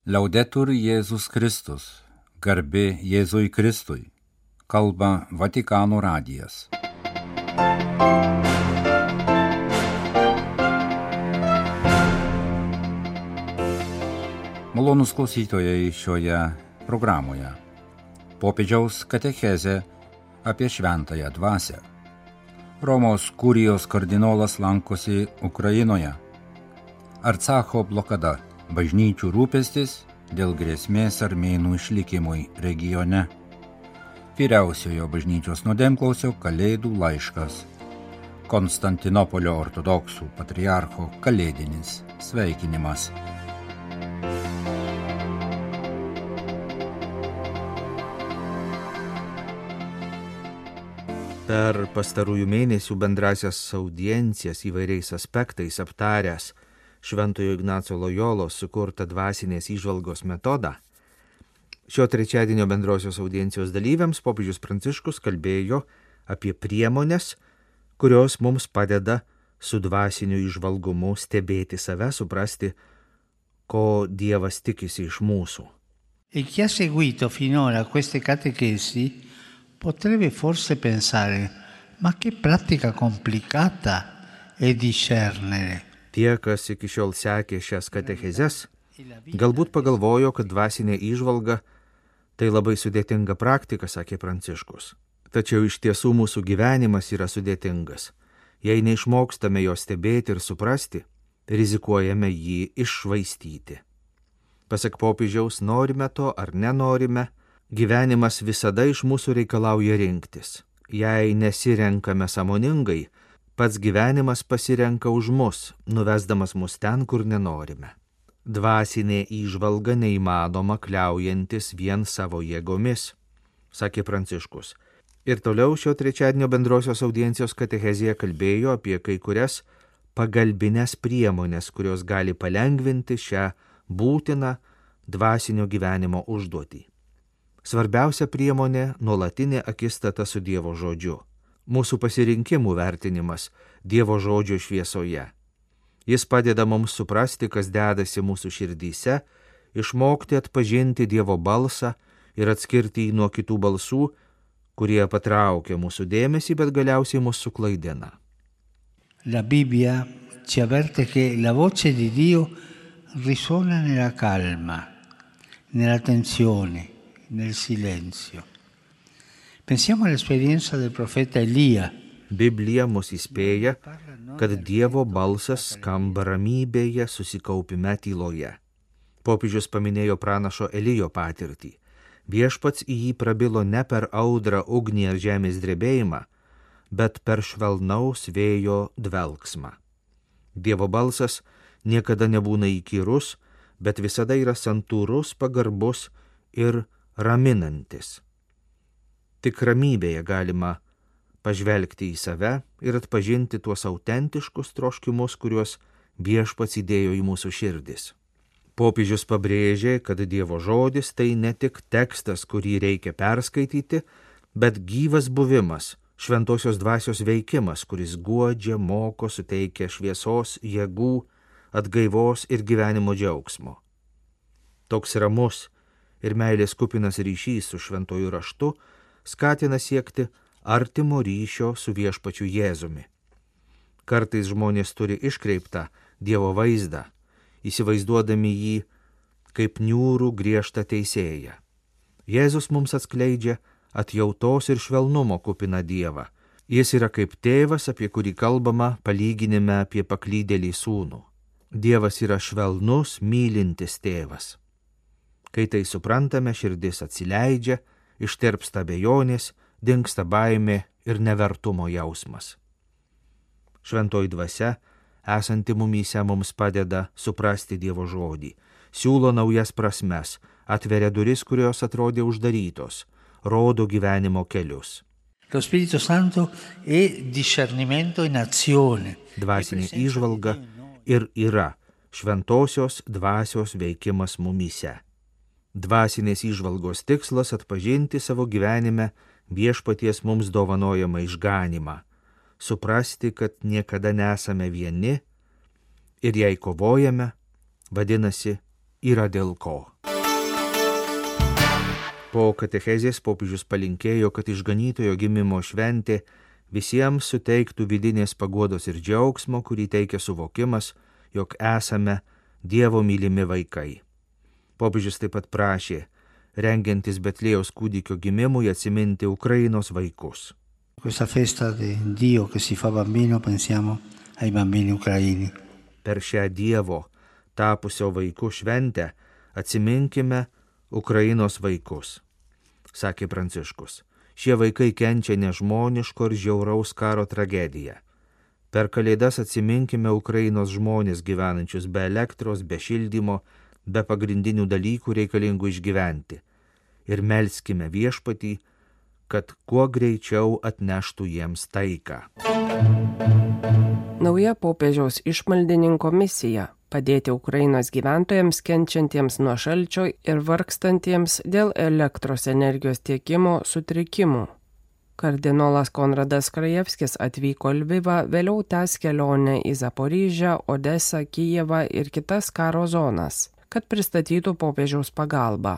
Liaudetur Jėzus Kristus, garbė Jėzui Kristui, kalba Vatikano radijas. Malonūs klausytojai šioje programoje. Popiežiaus katechezė apie šventąją dvasią. Romos kurijos kardinolas lankosi Ukrainoje. Arcacho blokada, bažnyčių rūpestis dėl grėsmės armėnų išlikimui regione. Vyriausiojo bažnyčios nuodėmklausio Kalėdų laiškas. Konstantinopolio ortodoksų patriarcho kalėdinis sveikinimas. Per pastarųjų mėnesių bendrasias audiencijas įvairiais aspektais aptaręs Šventojo Ignaco Lojolos sukurtą dvasinės įžvalgos metodą, šio trečiadienio bendrosios audiencijos dalyviams popiežius Pranciškus kalbėjo apie priemones, kurios mums padeda su dvasiniu įžvalgumu stebėti save, suprasti, ko Dievas tikisi iš mūsų. E chi ha seguito finora queste catechesi potrebbe forse pensare, ma che pratica complicata è discernere. Tie, kas iki šiol sekė šias katechezes, galbūt pagalvojo, kad dvasinė įžvalga tai labai sudėtinga praktika, sakė Pranciškus. Tačiau iš tiesų mūsų gyvenimas yra sudėtingas. Jei neišmokstame jo stebėti ir suprasti, rizikuojame jį iššvaistyti. Pasak popiežiaus, norime to ar nenorime, gyvenimas visada iš mūsų reikalauja rinktis. Jei nesirenkame sąmoningai, pats gyvenimas pasirenka už mus, nuvesdamas mus ten, kur nenorime. Dvasinė įžvalga neįmanoma kliaujantis vien savo jėgomis, sakė Pranciškus. Ir toliau šio trečiadienio bendrosios audiencijos katechezėje kalbėjo apie kai kurias pagalbinės priemonės, kurios gali palengvinti šią būtiną dvasinio gyvenimo užduotį. Svarbiausia priemonė – nuolatinė akistata su Dievo žodžiu. Mūsų pasirinkimų vertinimas Dievo žodžio šviesoje. Jis padeda mums suprasti, kas dedasi mūsų širdyse, išmokti atpažinti Dievo balsą ir atskirti jį nuo kitų balsų, kurie patraukia mūsų dėmesį, bet galiausiai mus suklaidina. La Bibbia ci avverte che la voce di Dio risuona nella calma, nella tensione, nel silenzio. Pensiamo all'esperienza del profeta Elia. Biblija mus įspėja, kad Dievo balsas skamba ramybėje, susikaupime tyloje. Popiežius paminėjo pranašo Elijo patirtį. Viešpats į jį prabilo ne per audrą, ugnį ar žemės drebėjimą, bet per švelnaus vėjo dvelksmą. Dievo balsas niekada nebūna įkyrus, bet visada yra santūrus, pagarbus ir raminantis. Tik ramybėje galima pažvelgti į save ir atpažinti tuos autentiškus troškimus, kuriuos Viešpats įdėjo į mūsų širdis. Popiežius pabrėžė, kad Dievo žodis tai ne tik tekstas, kurį reikia perskaityti, bet gyvas buvimas, šventosios dvasios veikimas, kuris guodžia, moko, suteikia šviesos, jėgų, atgaivos ir gyvenimo džiaugsmo. Toks ramus ir meilės kupinas ryšys su šventuoju raštu skatina siekti artimo ryšio su Viešpačiu Jėzumi. Kartais žmonės turi iškreiptą Dievo vaizdą, įsivaizduodami jį kaip niūrų griežtą teisėją. Jėzus mums atskleidžia atjautos ir švelnumo kupiną Dievą. Jis yra kaip tėvas, apie kurį kalbama palyginime apie paklydėlį sūnų. Dievas yra švelnus, mylintis tėvas. Kai tai suprantame, širdis atsileidžia, ištirpsta abejonės, dingsta baimė ir nevertumo jausmas. Šventoji dvasia, esanti mumyse, mums padeda suprasti Dievo žodį, siūlo naujas prasmes, atveria duris, kurios atrodė uždarytos, rodo gyvenimo kelius. Lo Spirito Santo è discernimento in azione. Dvasinė įžvalga ir yra šventosios dvasios veikimas mumyse. Dvasinės įžvalgos tikslas atpažinti savo gyvenime Viešpaties mums dovanojamą išganymą, suprasti, kad niekada nesame vieni ir jei kovojame, vadinasi, yra dėl ko. Po katechezės popiežius palinkėjo, kad išganytojo gimimo šventė visiems suteiktų vidinės paguodos ir džiaugsmo, kurį teikia suvokimas, jog esame Dievo mylimi vaikai. Popiežius taip pat prašė, rengiantis Betlėjaus kūdikio gimimui, atsiminti Ukrainos vaikus. Questa festa di Dio che si fa bambino, pensiamo ai bambini ucraini. Per šią Dievo tapusio vaikų šventę atsiminkime Ukrainos vaikus, sakė Pranciškus. Šie vaikai kenčia nežmoniško ir žiauraus karo tragediją. Per Kalėdas atsiminkime Ukrainos žmonės gyvenančius be elektros, be šildymo, be pagrindinių dalykų reikalingų išgyventi. Ir melskime Viešpatį, kad kuo greičiau atneštų jiems taiką. Nauja popiežiaus išmaldininko misija – padėti Ukrainos gyventojams kenčiantiems nuo šalčio ir vargstantiems dėl elektros energijos tiekimo sutrikimų. Kardinolas Konradas Krajevskis atvyko Lvivą, vėliau tęs kelionę į Zaporižę, Odesą, Kijevą ir kitas karo zonas, kad pristatytų popiežiaus pagalbą.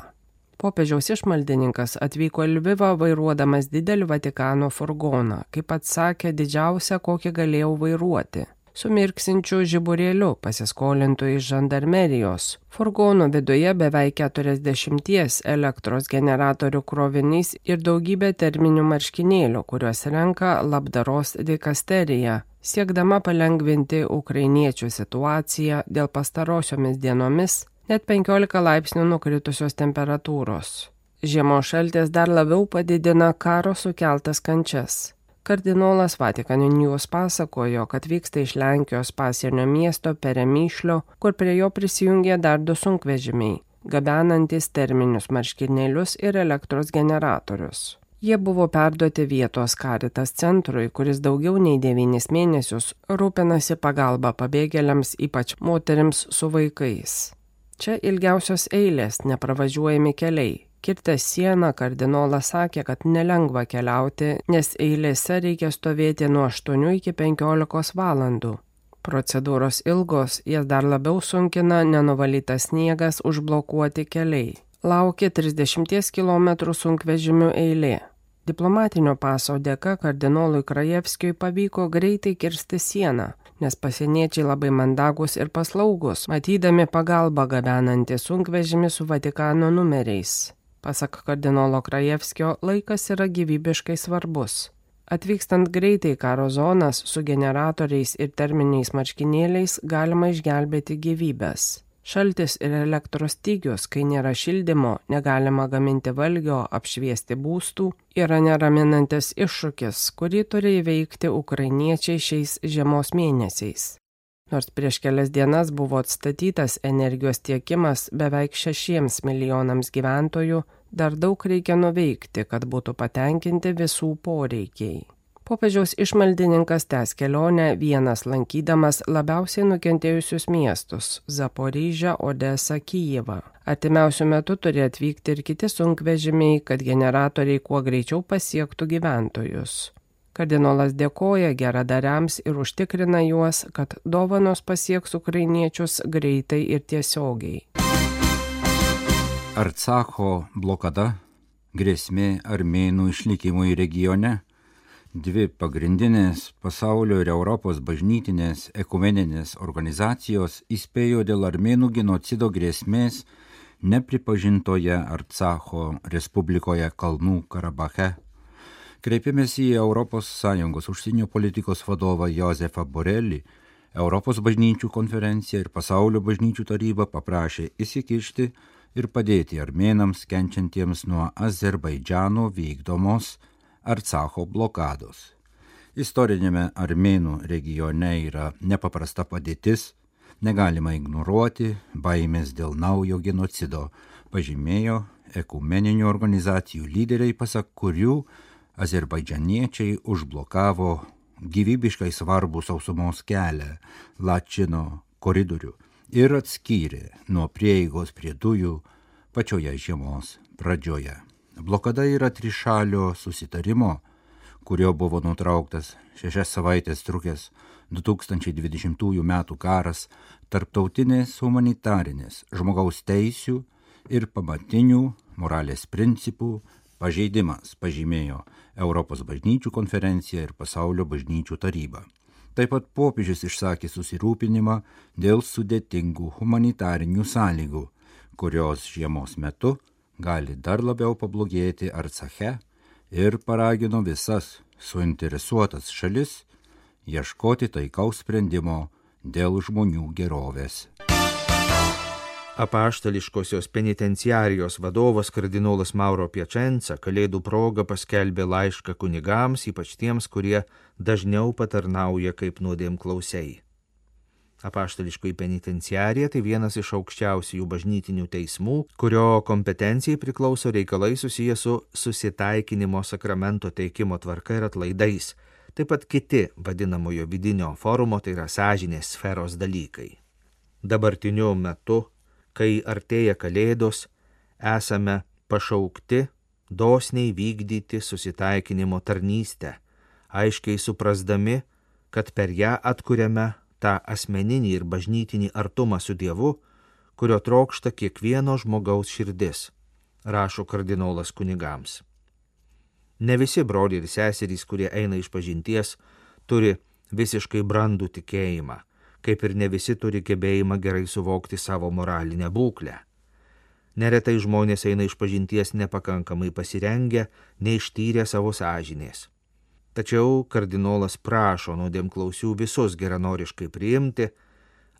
Popiežiaus išmaldininkas atvyko Lvivą vairuodamas didelį Vatikano furgoną, kaip pats sakė, didžiausią, kokį galėjau vairuoti. Su mirksinčiu žiburėliu pasiskolintų iš žandarmerijos. Furgono viduje beveik 40 elektros generatorių krovinys ir daugybė terminių marškinėlių, kuriuos renka labdaros dikasterija, siekdama palengvinti ukrainiečių situaciją dėl pastarosiomis dienomis net 15 laipsnių nukritusios temperatūros. Žiemos šaltis dar labiau padidina karo sukeltas kančias. Kardinolas Vatican News pasakojo, kad vyksta iš Lenkijos pasienio miesto Peremyšlio, kur prie jo prisijungė dar 2 sunkvežimiai, gabenantis terminius marškinėlius ir elektros generatorius. Jie buvo perduoti vietos Caritas centrui, kuris daugiau nei 9 mėnesius rūpinasi pagalba pabėgėliams, ypač moterims su vaikais. Čia ilgiausios eilės, nepravažiuojami keliai. Kirtęs sieną, kardinolas sakė, kad nelengva keliauti, nes eilėse reikia stovėti nuo 8 iki 15 valandų. Procedūros ilgos, jas dar labiau sunkina nenuvalytas sniegas, užblokuoti keliai. Laukia 30 km sunkvežimių eilė. Diplomatinio paso dėka kardinolui Krajevskiui pavyko greitai kirsti sieną, nes pasieniečiai labai mandagus ir paslaugus, matydami pagalbą gabenantį sunkvežimį su Vatikano numeriais. Pasak kardinolo Krajevskio, laikas yra gyvybiškai svarbus. Atvykstant greitai karo zonas su generatoriais ir terminiais marškinėliais galima išgelbėti gyvybės. Šaltis ir elektros stygius, kai nėra šildymo, negalima gaminti valgio, apšviesti būstų, yra neraminantis iššūkis, kurį turi įveikti ukrainiečiai šiais žiemos mėnesiais. Nors prieš kelias dienas buvo atstatytas energijos tiekimas beveik 6 milijonams gyventojų, dar daug reikia nuveikti, kad būtų patenkinti visų poreikiai. Popiežiaus išmaldininkas tęs kelionę vienas lankydamas labiausiai nukentėjusius miestus – Zaporižę, Odesą, Kijevą. Artimiausiu metu turi atvykti ir kiti sunkvežimiai, kad generatoriai kuo greičiau pasiektų gyventojus. Kardinolas dėkoja geradariams ir užtikrina juos, kad dovanos pasieks ukrainiečius greitai ir tiesiogiai. Artsacho blokada, grėsmė armėnų išlikimui regione, 2 pagrindinės pasaulio ir Europos bažnytinės ekumeninės organizacijos įspėjo dėl armėnų genocido grėsmės nepripažintoje Artsacho Respublikoje Kalnų Karabache. Kreipėmės į ES užsienio politikos vadovą Josefą Borelį, Europos bažnyčių konferencija ir Pasaulio bažnyčių taryba paprašė įsikišti ir padėti armėnams kenčiantiems nuo Azerbaidžano vykdomos Artsacho blokados. Istorinėme armėnų regione yra nepaprasta padėtis, negalima ignoruoti baimės dėl naujo genocido, pažymėjo ekumeninių organizacijų lyderiai, pasak kurių azerbaidžaniečiai užblokavo gyvybiškai svarbų sausumos kelią Lačino koridorių ir atskyrė nuo prieigos prie dujų pačioje žiemos pradžioje. Blokada yra trišalio susitarimo, kurio buvo nutrauktas 6 savaitės trukęs 2020 m. karas, tarptautinės humanitarinės žmogaus teisių ir pamatinių moralės principų pažeidimas, pažymėjo Europos bažnyčių konferencija ir Pasaulio bažnyčių taryba. Taip pat popiežius išsakė susirūpinimą dėl sudėtingų humanitarinių sąlygų, kurios žiemos metu gali dar labiau pablogėti Arcache ir paragino visas suinteresuotas šalis ieškoti taikaus sprendimo dėl žmonių gerovės. Apaštališkosios penitenciarijos vadovas kardinolas Mauro Piacenza Kalėdų proga paskelbė laišką kunigams, ypač tiems, kurie dažniau patarnauja kaip nuodėmklausiai. Apaštališkoji penitenciarija tai vienas iš aukščiausių bažnytinių teismų, kurio kompetencijai priklauso reikalai susiję su susitaikinimo sakramento teikimo tvarka ir atlaidais, taip pat kiti vadinamojo vidinio forumo, tai yra sąžinės sferos dalykai. Dabartiniu metu, kai artėja Kalėdos, esame pašaukti dosniai vykdyti susitaikinimo tarnystę, aiškiai suprasdami, kad per ją atkuriame tą asmeninį ir bažnytinį artumą su Dievu, kurio trokšta kiekvieno žmogaus širdis, rašo kardinolas kunigams. Ne visi broliai ir seserys, kurie eina išpažinties, turi visiškai brandų tikėjimą, kaip ir ne visi turi gebėjimą gerai suvokti savo moralinę būklę. Neretai žmonės eina išpažinties nepakankamai pasirengę, neištyrę savo sąžinės. Tačiau kardinolas prašo nuodėmklausių visus geranoriškai priimti,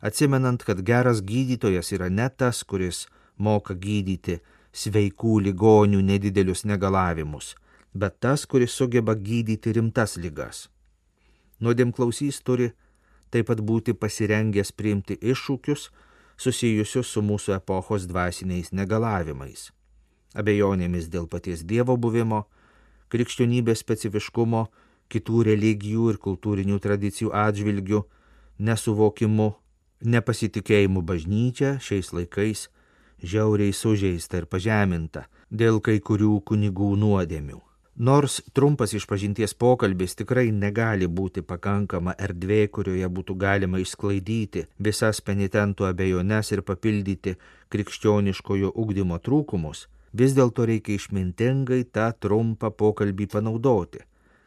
atsimenant, kad geras gydytojas yra ne tas, kuris moka gydyti sveikų ligonių nedidelius negalavimus, bet tas, kuris sugeba gydyti rimtas ligas. Nuodėmklausys turi taip pat būti pasirengęs priimti iššūkius susijusius su mūsų epochos dvasiniais negalavimais, abejonėmis dėl paties Dievo buvimo, krikščionybės specifiškumo, kitų religijų ir kultūrinių tradicijų atžvilgių, nesuvokimu, nepasitikėjimu bažnyčia šiais laikais žiauriai sužeista ir pažeminta dėl kai kurių kunigų nuodėmių. Nors trumpas išpažinties pokalbis tikrai negali būti pakankama erdvė, kurioje būtų galima išsklaidyti visas penitentų abejones ir papildyti krikščioniškojo ugdymo trūkumus, vis dėlto reikia išmintingai tą trumpą pokalbį panaudoti,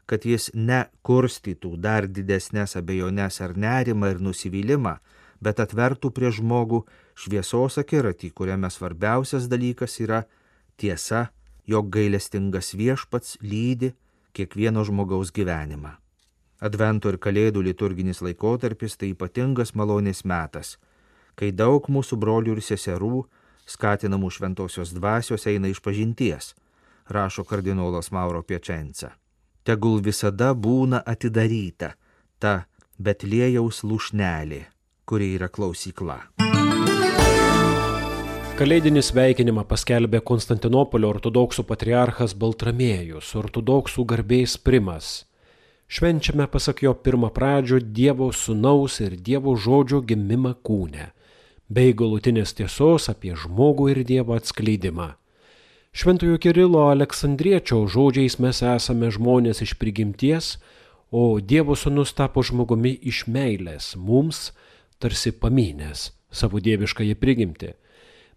kad jis nekurstytų dar didesnės abejones ar nerimą ir nusivylimą, bet atvertų prie žmogų šviesos akiratį, kuriame svarbiausias dalykas yra tiesa, jog gailestingas Viešpats lydi kiekvieno žmogaus gyvenimą. Advento ir Kalėdų liturginis laikotarpis tai ypatingas malonės metas, kai daug mūsų brolių ir seserų skatinamų šventosios dvasios eina išpažinties, rašo kardinolas Mauro Piacenza. Tegul visada būna atidaryta ta Betliejaus lūšnelė, kuri yra klausykla. Kalėdinį sveikinimą paskelbė Konstantinopolio ortodoksų patriarchas Baltramiejus, ortodoksų garbės primas. Švenčiame, pasak jo, pirmapradžio Dievo sūnaus ir Dievo žodžio gimimą kūne, bei galutinės tiesos apie žmogų ir Dievo atskleidimą. Šventojo Kirilo Aleksandriečio žodžiais mes esame žmonės iš prigimties, o Dievo sūnus tapo žmogumi iš meilės, mums tarsi pamynęs savo dieviškąją prigimtį.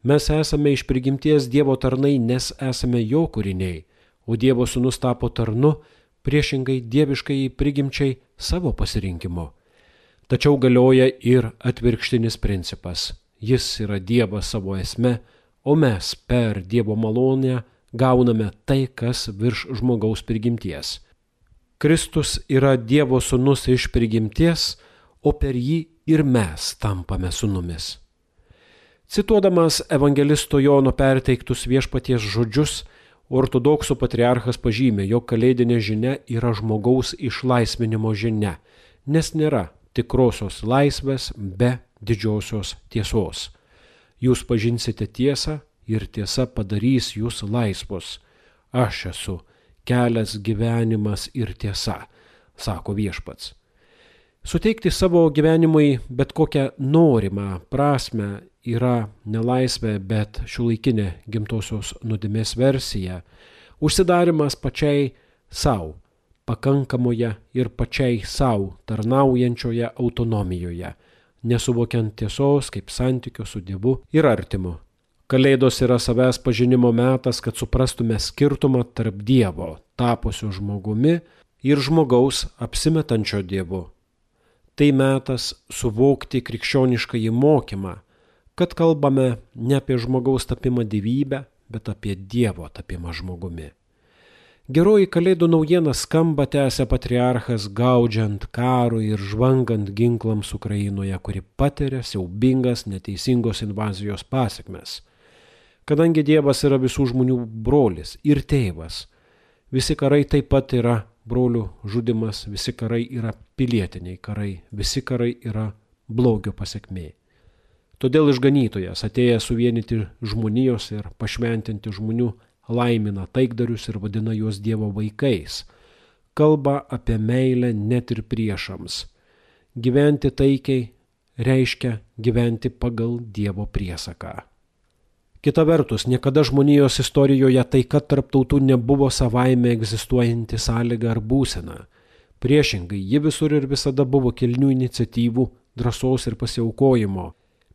Mes esame iš prigimties Dievo tarnai, nes esame jo kūriniai, o Dievo sūnus tapo tarnu priešingai dieviškai prigimčiai savo pasirinkimo. Tačiau galioja ir atvirkštinis principas. Jis yra Dievas savo esme, o mes per Dievo malonę gauname tai, kas virš žmogaus prigimties. Kristus yra Dievo sūnus iš prigimties, o per jį ir mes tampame sūnumis. Cituodamas evangelisto Jono perteiktus Viešpaties žodžius, ortodoksų patriarchas pažymė, jog kalėdinė žinia yra žmogaus išlaisvinimo žinia, nes nėra tikrosios laisvės be didžiosios tiesos. Jūs pažinsite tiesą ir tiesa padarys jūs laisvus. Aš esu kelias, gyvenimas ir tiesa, sako Viešpats. Suteikti savo gyvenimui bet kokią norimą prasme yra nelaisvė, bet šiuolaikinė gimtosios nuodėmės versija, užsidarimas pačiai savo, pakankamoje ir pačiai savo tarnaujančioje autonomijoje, nesuvokiant tiesos kaip santykio su Dievu ir artimu, Kalėdos yra savęs pažinimo metas, kad suprastume skirtumą tarp Dievo, tapusio žmogumi, ir žmogaus apsimetančio Dievu. Tai metas suvokti krikščioniškąjį mokymą, kad kalbame ne apie žmogaus tapimą dievybę, bet apie Dievo tapimą žmogumi. Geroji Kalėdų naujiena skamba, tęsia patriarchas, gaudžiant karui ir žvangant ginklams Ukrainoje, kuri patiria siaubingas neteisingos invazijos pasekmes. Kadangi Dievas yra visų žmonių brolis ir tėvas, visi karai taip pat yra brolių žudimas, visi karai yra pilietiniai karai, visi karai yra blogio pasekmė. Todėl išganytojas, atėjęs suvienyti žmonijos ir pašventinti žmonių, laimina taikdarius ir vadina juos Dievo vaikais. Kalba apie meilę net ir priešams. Gyventi taikiai reiškia gyventi pagal Dievo priesaką. Kita vertus, niekada žmonijos istorijoje taika tarp tautų nebuvo savaime egzistuojanti sąlyga ar būsena. Priešingai, ji visur ir visada buvo kilnių iniciatyvų, drąsos ir pasiaukojimo,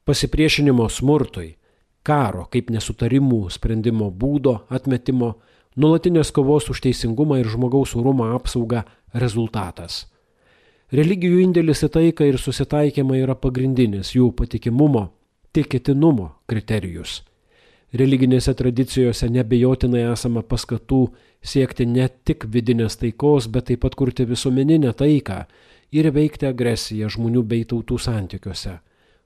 pasipriešinimo smurtui, karo kaip nesutarimų sprendimo būdo atmetimo, nuolatinės kovos už teisingumą ir žmogaus orumo apsaugą rezultatas. Religijų indėlis į taiką ir susitaikymą yra pagrindinis jų patikimumo, tikėtinumo kriterijus. Religinėse tradicijose neabejotinai esama paskatų siekti ne tik vidinės taikos, bet taip pat kurti visuomeninę taiką ir veikti agresiją žmonių bei tautų santykiuose.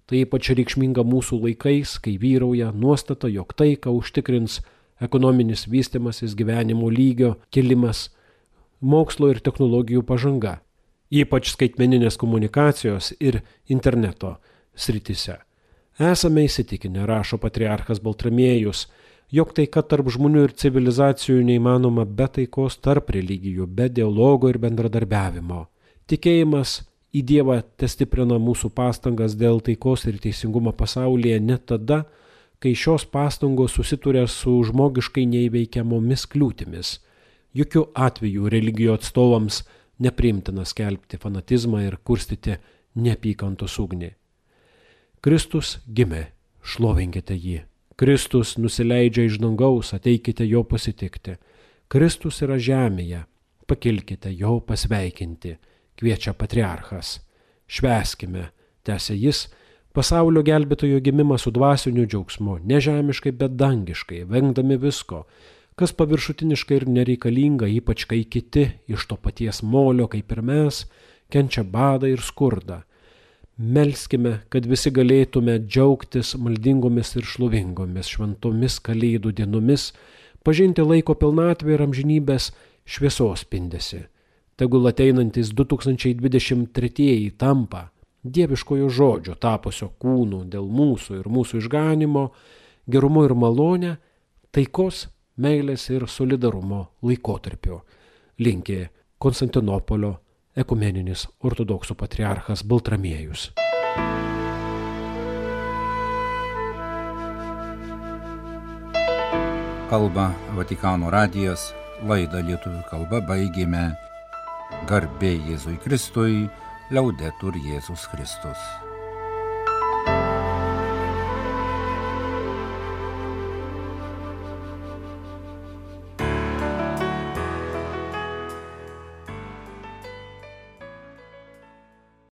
Tai ypač reikšminga mūsų laikais, kai vyrauja nuostata, jog taiką užtikrins ekonominis vystimasis, gyvenimo lygio kilimas, mokslo ir technologijų pažanga, ypač skaitmeninės komunikacijos ir interneto srityse. Esame įsitikinę, rašo patriarchas Baltramiejus, jog taika tarp žmonių ir civilizacijų neįmanoma be taikos tarp religijų, be dialogo ir bendradarbiavimo. Tikėjimas į Dievą testiprina mūsų pastangas dėl taikos ir teisingumo pasaulyje net tada, kai šios pastangos susituria su žmogiškai neįveikiamomis kliūtimis. Jokių atvejų religijų atstovams nepriimtina skelbti fanatizmą ir kurstyti neapykantos ugnį. Kristus gimė, šlovinkite jį. Kristus nusileidžia iš dangaus, ateikite jo pasitikti. Kristus yra žemėje, pakilkite jo pasveikinti, kviečia patriarchas. Švęskime, tęsia jis, pasaulio gelbėtojo gimimą su dvasiniu džiaugsmu, nežemiškai, bet dangiškai, vengdami visko, kas paviršutiniškai ir nereikalinga, ypač kai kiti iš to paties molio, kaip ir mes, kenčia badą ir skurdą. Melskime, kad visi galėtume džiaugtis maldingomis ir šlovingomis šventomis kalėdų dienomis, pažinti laiko pilnatvę ir amžinybės šviesos spindesį. Tegul ateinantis 2023 tampa dieviškojo žodžio tapusio kūnu dėl mūsų ir mūsų išganimo, gerumo ir malonę, taikos, meilės ir solidarumo laikotarpiu. Linkė Konstantinopolio ekumeninis ortodoksų patriarchas Baltramiejus. Kalba Vatikano radijas, laidą lietuvių kalba baigėme. Garbė Jėzui Kristui, Liaudetur Jėzus Kristus.